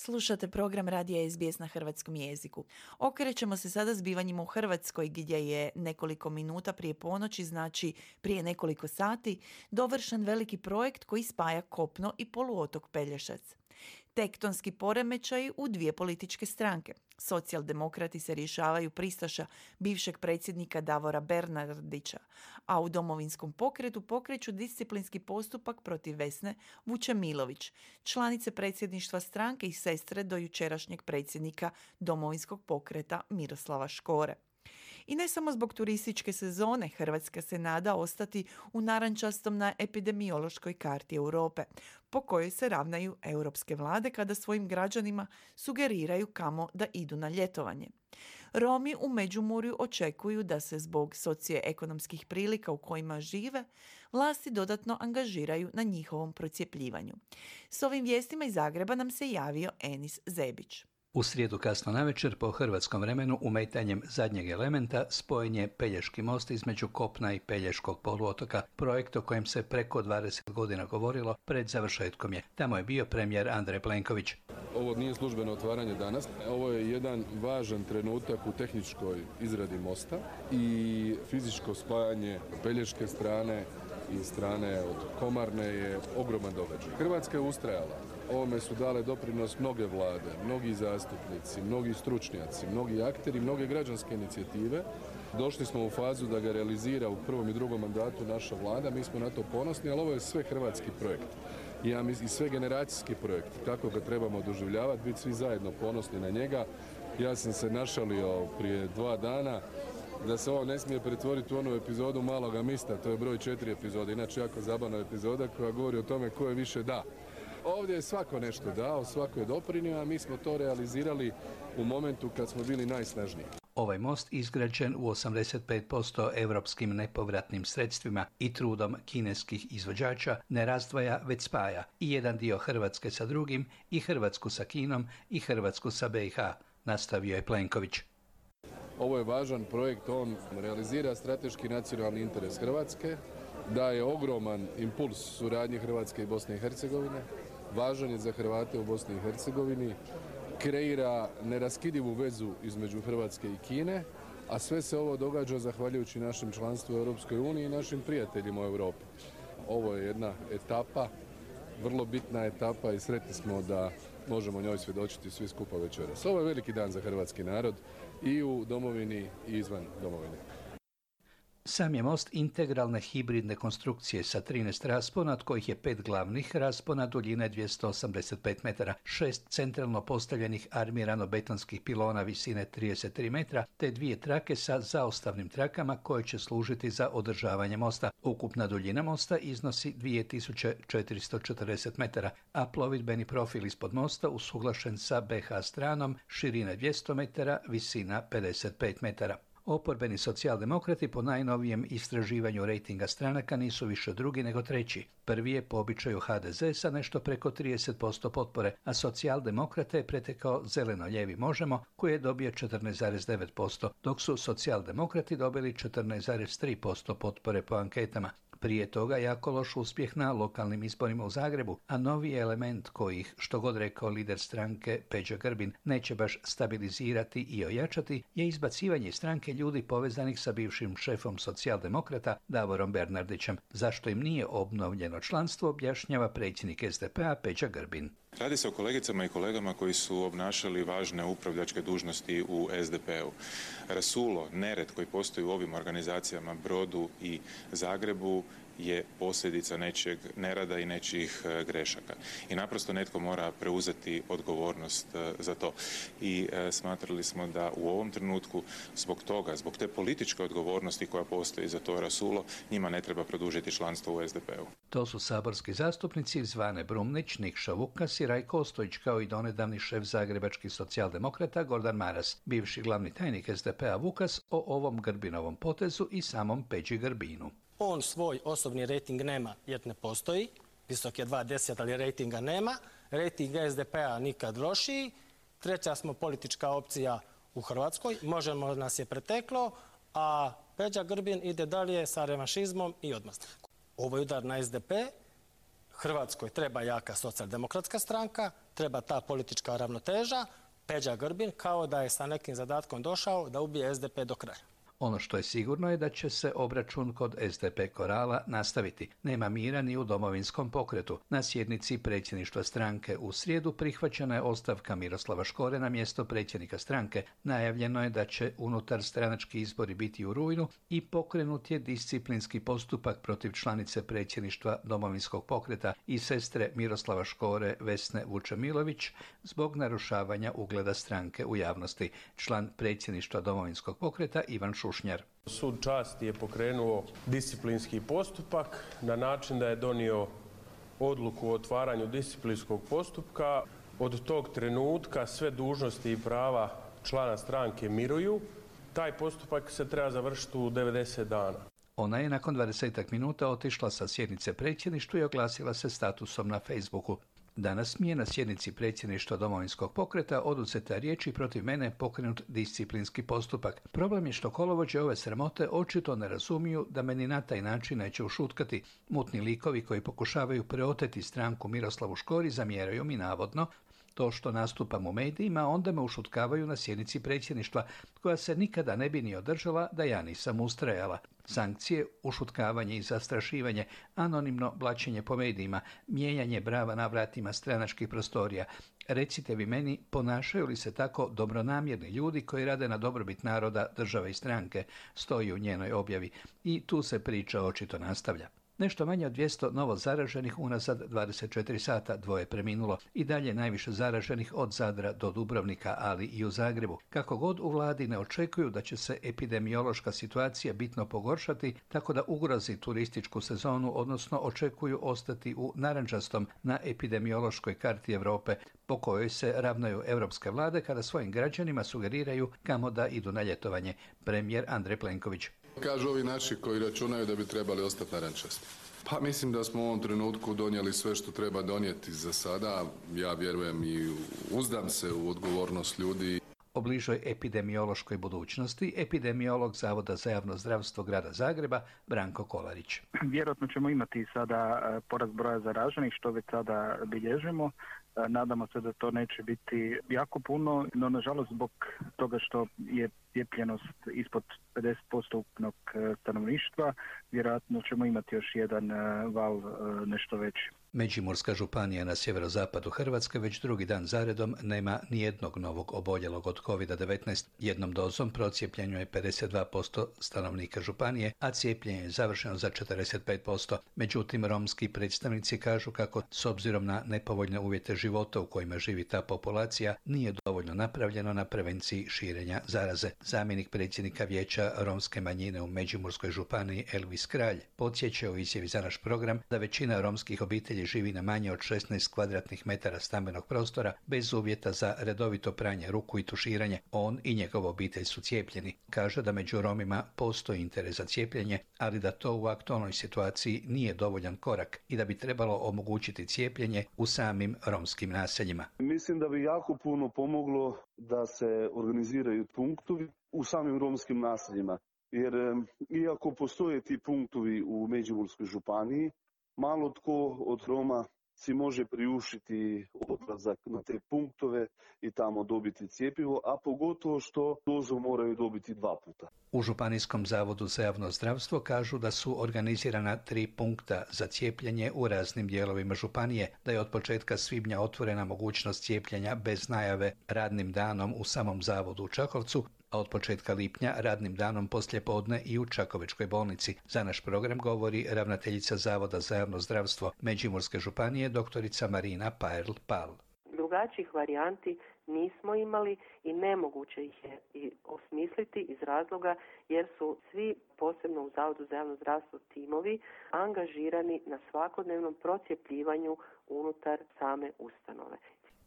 Slušate program Radija SBS na hrvatskom jeziku. Okrećemo se sada zbivanjima u Hrvatskoj gdje je nekoliko minuta prije ponoći, znači prije nekoliko sati, dovršen veliki projekt koji spaja kopno i poluotok Pelješac. Tektonski poremećaji u dvije političke stranke. Socijaldemokrati se rješavaju pristaša bivšeg predsjednika Davora Bernardića, a u Domovinskom pokretu pokreću disciplinski postupak protiv Vesne Vučemilović, članice predsjedništva stranke i sestre do jučerašnjeg predsjednika Domovinskog pokreta Miroslava Škore. I ne samo zbog turističke sezone, Hrvatska se nada ostati u narančastom na epidemiološkoj karti Europe, po kojoj se ravnaju europske vlade kada svojim građanima sugeriraju kamo da idu na ljetovanje. Romi u Međimurju očekuju da se zbog socioekonomskih prilika u kojima žive, vlasti dodatno angažiraju na njihovom procijepljivanju. S ovim vijestima iz Zagreba nam se javio Enis Zebić. U srijedu kasno navečer po hrvatskom vremenu umetanjem zadnjeg elementa spojen je Pelješki most između kopna i Pelješkog poluotoka, projekt o kojem se preko 20 godina govorilo, pred završetkom je. Tamo je bio premijer Andrej Plenković. Ovo nije službeno otvaranje danas, ovo je jedan važan trenutak u tehničkoj izradi mosta i fizičko spajanje Pelješke strane i strane od Komarne je ogroman događaj. Hrvatska je ustrajala. Ovome su dale doprinos mnoge vlade, mnogi zastupnici, mnogi stručnjaci, mnogi akteri, mnoge građanske inicijative. Došli smo u fazu da ga realizira u prvom i drugom mandatu naša vlada. Mi smo na to ponosni, ali ovo je sve hrvatski projekt. I sve generacijski projekt. Kako ga trebamo doživljavati, biti svi zajedno ponosni na njega. Ja sam se našalio prije 2 dana da se ovo ne smije pretvoriti u onu epizodu Maloga mista, to je broj 4 epizode, inače jako zabavna epizoda koja govori o tome ko je više da. Ovdje je svako nešto dao, svako je doprinio, a mi smo to realizirali u momentu kad smo bili najsnažniji. Ovaj most izgrađen u 85% europskim nepovratnim sredstvima i trudom kineskih izvođača ne razdvaja, već spaja i jedan dio Hrvatske sa drugim, i Hrvatsku sa Kinom i Hrvatsku sa BiH, nastavio je Plenković. Ovo je važan projekt, on realizira strateški nacionalni interes Hrvatske, daje ogroman impuls suradnji Hrvatske i Bosne i Hercegovine, važan je za Hrvate u Bosni i Hercegovini, kreira neraskidivu vezu između Hrvatske i Kine, a sve se ovo događa zahvaljujući našem članstvu u Europskoj uniji i našim prijateljima u Europi. Ovo je jedna etapa, vrlo bitna etapa i sretni smo da možemo njoj svjedočiti svi skupa večeras. Ovo je veliki dan za hrvatski narod i u domovini i izvan domovine. Sam je most integralne hibridne konstrukcije sa 13 raspona, od kojih je 5 glavnih raspona duljine 285 metara, 6 centralno postavljenih armirano-betonskih pilona visine 33 metra, te 2 trake sa zaostavnim trakama koje će služiti za održavanje mosta. Ukupna duljina mosta iznosi 2440 metara, a plovidbeni profil ispod mosta usuglašen sa BiH stranom, širine 200 metara, visina 55 metara. Oporbeni socijaldemokrati po najnovijem istraživanju rejtinga stranaka nisu više drugi nego treći. Prvi je po običaju HDZ sa nešto preko 30% potpore, a socijaldemokrate je pretekao zeleno-ljevi Možemo koji je dobio 14,9%, dok su socijaldemokrati dobili 14,3% potpore po anketama. Prije toga jako loš uspjeh na lokalnim izborima u Zagrebu, a novi element kojih, što god rekao lider stranke Peđa Grbin, neće baš stabilizirati i ojačati, je izbacivanje stranke ljudi povezanih sa bivšim šefom socijaldemokrata Davorom Bernardićem. Zašto im nije obnovljeno članstvo, objašnjava predsjednik SDP-a Peđa Grbin. Radi se o kolegicama i kolegama koji su obnašali važne upravljačke dužnosti u SDP-u. Rasulo, nered koji postoji u ovim organizacijama, Brodu i Zagrebu, je posljedica nečijeg nerada i nečijih grešaka. I naprosto netko mora preuzeti odgovornost za to. I smatrali smo da u ovom trenutku zbog toga, zbog te političke odgovornosti koja postoji za to rasulo, njima ne treba produžiti članstvo u SDP-u. To su saborski zastupnici Zvane Brumnić, Nikša Vukas i Rajko Ostojić, kao i donedavni šef zagrebačkih socijaldemokrata Gordan Maras. Bivši glavni tajnik SDP-a Vukas o ovom Grbinovom potezu i samom Peđi Grbinu. On svoj osobni rejting nema jer ne postoji, visok je 2,10, ali rejtinga nema. Rejting SDP-a nikad lošiji. Treća smo politička opcija u Hrvatskoj, Možemo nas je preteklo, a Peđa Grbin ide dalje sa revanšizmom i odmazda. Ovo je udar na SDP, Hrvatskoj treba jaka socijaldemokratska stranka treba ta politička ravnoteža. Peđa Grbin kao da je sa nekim zadatkom došao da ubije SDP do kraja. Ono što je sigurno je da će se obračun kod SDP Korala nastaviti. Nema mira ni u Domovinskom pokretu. Na sjednici predsjedništva stranke u srijedu prihvaćena je ostavka Miroslava Škore na mjesto predsjednika stranke. Najavljeno je da će unutar stranački izbori biti u rujnu i pokrenut je disciplinski postupak protiv članice predsjedništva Domovinskog pokreta i sestre Miroslava Škore Vesne Vučemilović zbog narušavanja ugleda stranke u javnosti. Član predsjedništva Domovinskog pokreta Ivan Šušnjar. Sud časti je pokrenuo disciplinski postupak na način da je donio odluku o otvaranju disciplinskog postupka. Od tog trenutka sve dužnosti i prava člana stranke miruju. Taj postupak se treba završiti u 90 dana. Ona je nakon 20 minuta otišla sa sjednice predsjedništva i oglasila se statusom na Facebooku. Danas mi je na sjednici predsjedništva Domovinskog pokreta oduzeta riječ i protiv mene pokrenut disciplinski postupak. Problem je što kolovođe ove sramote očito ne razumiju da me ni na taj način neće ušutkati. Mutni likovi koji pokušavaju preoteti stranku Miroslavu Škori zamjeraju mi navodno to što nastupam u medijima, onda me ušutkavaju na sjednici predsjedništva, koja se nikada ne bi ni održala da ja nisam ustrajala. Sankcije, ušutkavanje i zastrašivanje, anonimno blaćenje po medijima, mijenjanje brava na vratima stranačkih prostorija. Recite vi meni, ponašaju li se tako dobronamjerni ljudi koji rade na dobrobit naroda, države i stranke, stoji u njenoj objavi. I tu se priča očito nastavlja. Nešto manje od 200 novo zaraženih unazad 24 sata, 2 preminulo. I dalje najviše zaraženih od Zadra do Dubrovnika, ali i u Zagrebu. Kako god u vladi ne očekuju da će se epidemiološka situacija bitno pogoršati, tako da ugrozi turističku sezonu, odnosno očekuju ostati u narančastom na epidemiološkoj karti Europe, po kojoj se ravnaju europske vlade kada svojim građanima sugeriraju kamo da idu na ljetovanje. Premijer Andrej Plenković. Kažu ovi naši koji računaju da bi trebali ostati narančasti. Pa mislim da smo u ovom trenutku donijeli sve što treba donijeti za sada. Ja vjerujem i uzdam se u odgovornost ljudi. O bližoj epidemiološkoj budućnosti epidemiolog Zavoda za javno zdravstvo grada Zagreba Branko Kolarić. Vjerojatno ćemo imati sada porast broja zaraženih, što već sada bilježimo. Nadamo se da to neće biti jako puno, no nažalost zbog toga što je cijepljenost ispod 50% ukupnog stanovništva, vjerojatno ćemo imati još jedan val nešto veći. Međimurska županija na sjeverozapadu Hrvatske već drugi dan zaredom nema nijednog novog oboljelog od COVID-19. Jednom dozom procijepljeno je 52% stanovnika županije, a cijepljenje je završeno za 45%. Međutim, romski predstavnici kažu kako s obzirom na nepovoljne uvjete života u kojima živi ta populacija nije dovoljno napravljeno na prevenciji širenja zaraze. Zamjenik predsjednika vijeća romske manjine u Međimurskoj županiji Elvis Kralj podsjeća u izjavi za naš program da većina romskih obitelji živi na manje od 16 kvadratnih metara stambenog prostora bez uvjeta za redovito pranje ruku i tuširanje. On i njegova obitelj su cijepljeni. Kaže da među Romima postoji interes za cijepljenje, ali da to u aktualnoj situaciji nije dovoljan korak i da bi trebalo omogućiti cijepljenje u samim romskim naseljima. Mislim da bi jako puno pomoglo da se organiziraju punktovi u samim romskim naseljima, jer iako postoje ti punktovi u Međimurskoj županiji, malo tko od Roma si može priuštiti odlazak na te punktove i tamo dobiti cjepivo, a pogotovo što dozu moraju dobiti 2 puta. U Županijskom zavodu za javno zdravstvo kažu da su organizirana 3 punkta za cijepljenje u raznim dijelovima županije, da je od početka svibnja otvorena mogućnost cijepljenja bez najave radnim danom u samom zavodu u Čakovcu, a od početka lipnja radnim danom poslijepodne i u Čakovečkoj bolnici. Za naš program govori ravnateljica Zavoda za javno zdravstvo Međimurske županije doktorica Marina Paerl-Pal. Drugačijih varijanti nismo imali i nemoguće ih je i osmisliti iz razloga jer su svi, posebno u Zavodu za javno zdravstvo, timovi angažirani na svakodnevnom procijepljivanju unutar same ustanove.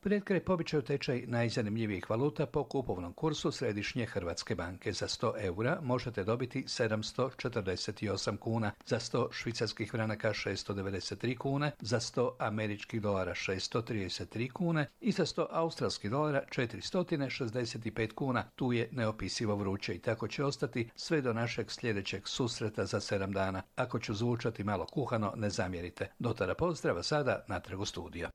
Pred kraj po običaju tečaj najzanimljivijih valuta po kupovnom kursu Središnje Hrvatske banke. Za 100 eura možete dobiti 748 kuna, za 100 švicarskih franaka 693 kune, za 100 američkih dolara 633 kune i za 100 australskih dolara 465 kuna. Tu je neopisivo vruće i tako će ostati sve do našeg sljedećeg susreta za 7 dana. Ako ću zvučati malo kuhano, ne zamjerite. Do tada pozdrava, sada natrag u studio.